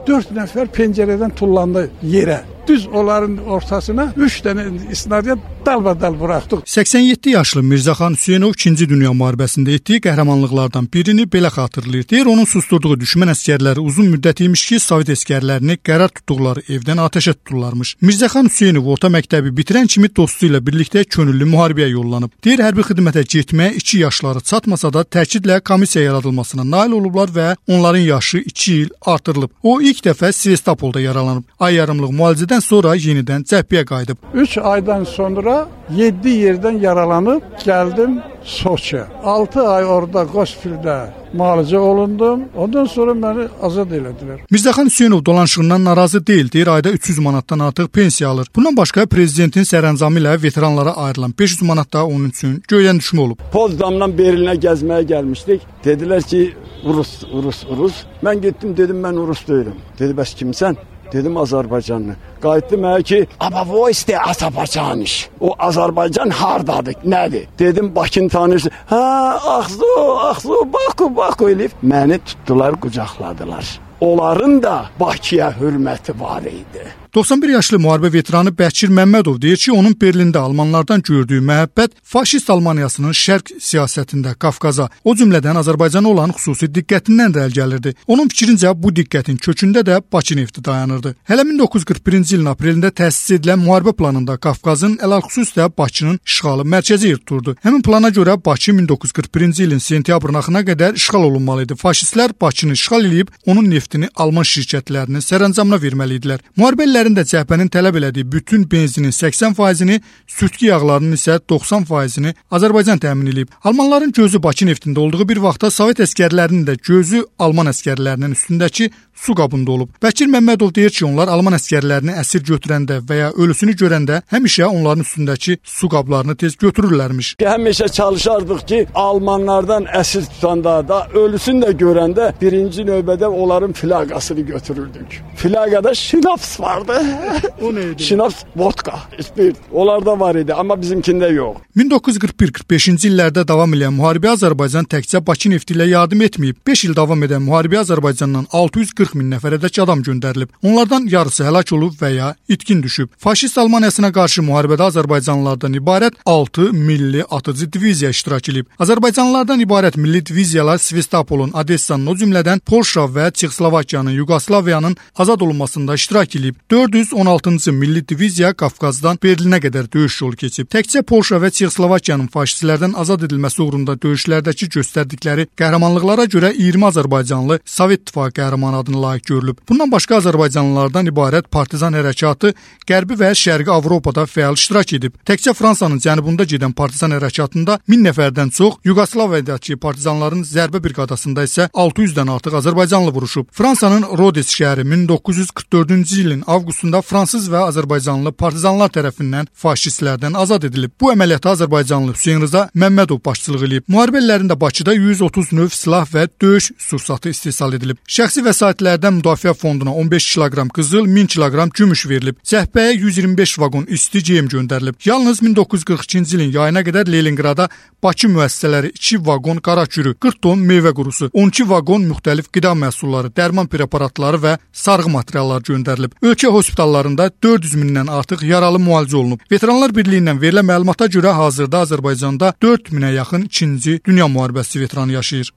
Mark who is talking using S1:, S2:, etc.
S1: 4 nəfər pəncərədən tullandı yerə. Düz onların ortasına 3 dənə isnariyyat dalbadal buraxdıq.
S2: 87 yaşlı Mirzəxan Hüseynov 2-ci Dünya müharibəsində etdiyi qəhrəmanlıqlardan birini belə xatırlayır. Deyir, onun susturduğu düşmən əsgərləri uzun müddət imiş ki, Sovet əsgərlərini qərar tutduqları evdən atəşə tuturlarmış. Mirzəxan Hüseynov orta məktəbi bitirən kimi dostu ilə birlikdə könüllü müharibəyə yollanıb. Deyir, hərbi xidmətə getməyə 2 yaşları çatmasa da təkidlə komissiya yaradılmasına nail olublar və onların yaşı 2 il artırılıb. O ilk dəfə Sevastopolda yaralanıb. Ay yarımlıq müalicədən sonra yenidən cəbhəyə qayıdıb.
S1: 3 aydan sonra 7 yerdən yaralanıb gəldim Soçiyə. 6 ay orada Qospildə müalicə olundum. Ondan sonra məni azad elədilər.
S2: Mirzəxan Hüseynov dolanışığından narazı deyil. Deyir, ayda 300 manatdan artıq pensiya alır. Bundan başqa prezidentin sərəncamı ilə veteranlara ayrılan 500 manat da onun üçün göydən düşmə olub.
S3: Potsdamdan Berlinə gəzməyə gəlmişdik. Dedilər ki, Rus. Mən getdim, dedim, mən Rus deyiləm. Dedi, bəs kimsən? Dedim, Azərbaycanlı. Qayıtdı mənə ki, Abavoyste Azərbaycaniş. O Azərbaycan hardadır, nədir? Dedim, Bakını tanıyırsın. Axzu, Baku eləyib. Məni tutdular, qucaqladılar. Onların da Bakıya hörməti var idi.
S2: 91 yaşlı müharibə veteranı Bəkir Məmmədov deyir ki, onun Berlində almanlardan gördüyü məhəbbət faşist Almaniyasının şərq siyasətində Qafqaza, o cümlədən Azərbaycana olan xüsusi diqqətindən də əl gəlirdi. Onun fikrincə bu diqqətin kökündə də Bakı nefti dayanırdı. Hələ 1941-ci ilin aprelində təsis edilən müharibə planında Qafqazın ələlxüsus da Bakının işğalı mərkəzi yer tuturdu. Həmin plana görə Bakı 1941-ci ilin sentyabrın axırına qədər işğal olunmalı idi. Faşistlər Bakını işğal edib onun neftini Alman şirkətlərinin sərəncamına verməli idilər. Müharibələr də cəbhənin tələb elədiyi bütün benzinin 80%-ni, sürtgü yağlarının isə 90%-ni Azərbaycan təmin edib. Almanların gözü Bakı neftində olduğu bir vaxtda Sovet əsgərlərinin də gözü Alman əsgərlərinin üstündəki su qabında olub. Bəkir Məmmədov deyir ki, onlar Alman əsgərlərini əsir götürəndə və ya ölüsünü görəndə həmişə onların üstündəki su qablarını tez götürürlərmiş.
S3: Həmişə çalışardıq ki, Almanlardan əsir tutanda da ölüsünü də görəndə birinci növbədə onların flaqasını götürürdük. Flaqada şinaps vardı.
S2: O neydi?
S3: Şinaps, vodka, spirt. Onlarda var idi, amma bizimkində yox.
S2: 1941-45-ci illərdə davam edən müharibə Azərbaycan təkcə Bakı nefti ilə yardım etməyib. 5 il davam edən müharibə Azərbaycandan 640 min nəfərədək adam göndərilib. Onlardan yarısı həlak olub və ya itkin düşüb. Faşist Almaniyasına qarşı müharibədə Azərbaycanlılardan ibarət 6 milli atıcı diviziya iştirak edib. Azərbaycanlılardan ibarət milli diviziyalar Sevastopolun, Odessanın, o cümlədən Polşa və Çexoslovakiyanın, Yugoslaviyanın azad olunmasında iştirak edib. 416-cı milli diviziya Qafqazdan Berlinə qədər döyüş yolu keçib. Təkcə Polşa və Çexoslovakiyanın faşistlərdən azad edilməsi uğrunda döyüşlərdəki göstərdikləri qəhrəmanlıqlara görə 20 Azərbaycanlı Sovet İttifaqı qəhrəmanı adını layiq görülüb. Bundan başqa Azərbaycanlılardan ibarət partizan hərəkatı Qərbi və Şərqi Avropada fəal iştirak edib. Təkcə Fransanın cənubunda gedən partizan hərəkatında 1000 nəfərdən çox, Yugoslaviyadakı partizanların zərbə briqadasında isə 600-dən artıq Azərbaycanlı vuruşub. Fransanın Rodes şəhəri 1944-cü ilin avqustunda fransız və Azərbaycanlı partizanlar tərəfindən faşistlərdən azad edilib. Bu əməliyyata Azərbaycanlı Hüseyn Rza Məmmədov başçılıq edib. Müharibə illərində Bakıda 130 növ silah və döyüş sursatı istehsal edilib. Şəxsi vəsaitlərdən müdafiə fonduna 15 kiloqram qızıl, 1000 kiloqram gümüş verilib. Cəbhəyə 125 vaqon isti geyim göndərilib. Yalnız 1942-ci ilin yayına qədər Leninqrada Bakı müəssisələri 2 vaqon qara kürü, 40 ton meyvə qurusu, 12 vaqon müxtəlif qida məhsulları, dərman preparatları və sarğı materiallar göndərilib. Ölkə hospitallarında 400 mindən artıq yaralı müalicə olunub. Veteranlar Birliyindən verilən məlumata görə hazırda Azərbaycanda 4000-ə yaxın 2-ci Dünya müharibəsi veteranı yaşayır.